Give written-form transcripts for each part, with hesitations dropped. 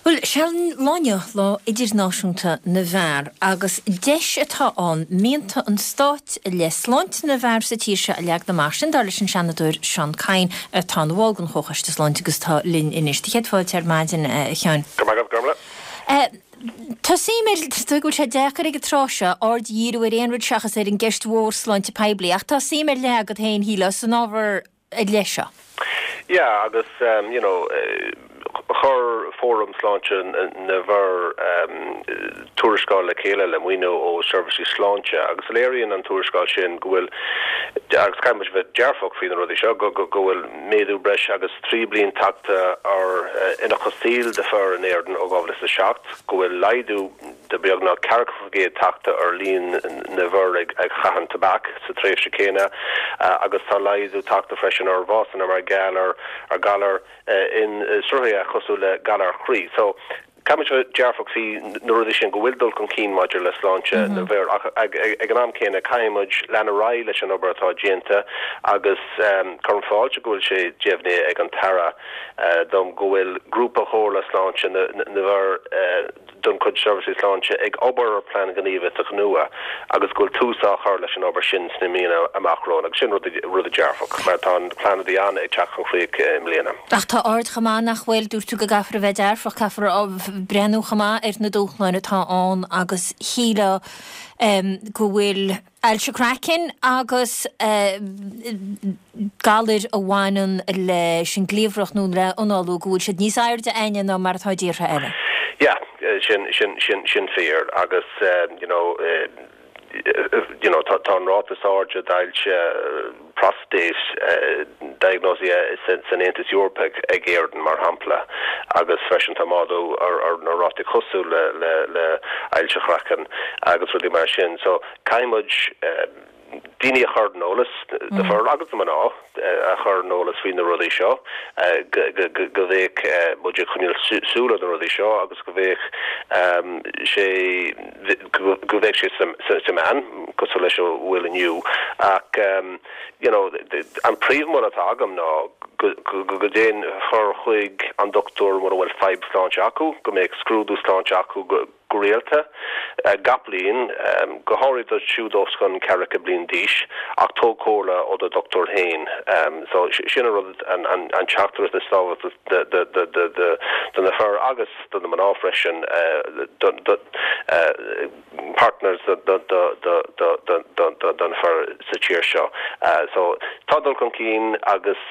Bhuel, sé an lá inniu Lá Idirnáisiúnta na bhFear agus deis atá ann mianta an stáit i leith sláinte na bhfear sa tír seo a leagan amach, sin dar leis an Seanadóir Seán Kyne atá ina bhall den Chomhchoiste Sláinte agus atá linn anois. Do chéad fáilte ar maidin, a Sheáin. Go raibh maith agat, Gormlaith. Tá suim ar, is dóigh go bhfuil sé deacair ag an tráth seo aird a dhíriú ar aon rud seachas ar an gceist mhór sláinte poiblí ach tá suim ar leith agat féin, shílfeá, san ábhar ar leith seo. Yeah, agus you know chuir Fóram Sláinte na bhFear tuarascáil le chéile le maoiniú ó Seirbhísí Sláinte agus léiríonn an tuarascáil sin go bhfuil, agus caithfidh muid bheith dearfach faoi na rudaí seo, go bhfuil méadú breis agus 3 bliain tagtha ar ionchas saoil do fir in Éirinn ó 2007, go bhfuil laghdú de beagnach 40% tagtha ar líon na bhfear ag caitheamh tobac sa tréimhse céanna agus tá laghdú tagtha freisin ar bhásanna mar gheall ar ghalair insruthaithe cosúil le galar chroí. So, caithfimid bheith dearfach faoi na rudaí sin, go bhfuil dul chun cinn maidir le sláinte na bhfear ach ag an am céanna caithfidh muid lean ar aghaidh leis an obair atá déanta agus cuirim fáilte go bhfuil sé deimhnithe ag an tAire dom go bhfuil Grúpa Chomhairle Sláinte na bhFear de chuid Seirbhísí Sláinte ag obair ar plean gníomhaíochta nua agus go bhfuil tús á chur leis an obair sin sna míonna amach romhainn agus sin rud dearfach mar tá an plean a bhí ann ag teacht chun críche i mbliana. Ach tá aird chomh maith nach bhfuil, dúirt tú go gcaithfear a bheith dearfach, caithfear breathnú chomh maith ar na dúshláin atá ann agus shílfeá go bhfuil ailse craicinn agus galair a bhaineann leis an gcliabhrach nó le análú, go bhfuil siad níos airde againne ná mar atá i dtíortha eile. Yeah, sin, sin, sin, sin fíor agus you know, you know tá, tá an ráta is airde d'ailse prostate diagnóisithe san Aontas Eorpach ag Éirinn mar shampla agus freisin tá méadú ar, ar na rátaí cosúil le, le, le ailse chraicinn agus rudaí mar sin. So caithfidh muid daoine a chur ar an eolas, na fir agus na mná a chur ar an eolas faoi na rudaí seo, go mbeadh muid ag coinneáil súil ar na rudaí seo agus go mbeadh sé, go mbeadh sé sa meán, cosúil leis a bhfuil inniu. Ach you know an príomh-mholadh atá agam ná go go dtéann fir chuig an dochtúir mura bhfuil fadhb sláinte acu, go mbeadh scrúdú sláinte acu go go rialta, gach bliain, go háirithe dóibh siúd os cionn ceathracha bliain d'aois, ach tóg comhairle ó do dhochtúir féin. So, sin an rud, an teachtaireacht is tábhachtaí do na fir agus do na mná freisin, do partners do na fir sa tír seo. So, tá dul chun cinn agus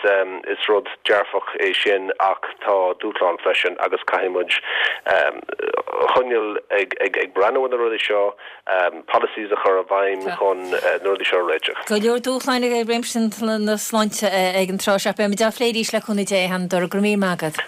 is rud dearfach é sin ach tá dúshlán freisin agus caithfidh muid choinneáil ag breathnú ar na rudaí seo, policies a chur i bhfeidhm chun na rudaí seo a réiteach. Go leor dúshláin i réimse na sláinte ag an tráth seo. Beimid á phlé arís le cúnamh Dé, a Sheanadóir. Go raibh míle maith agat.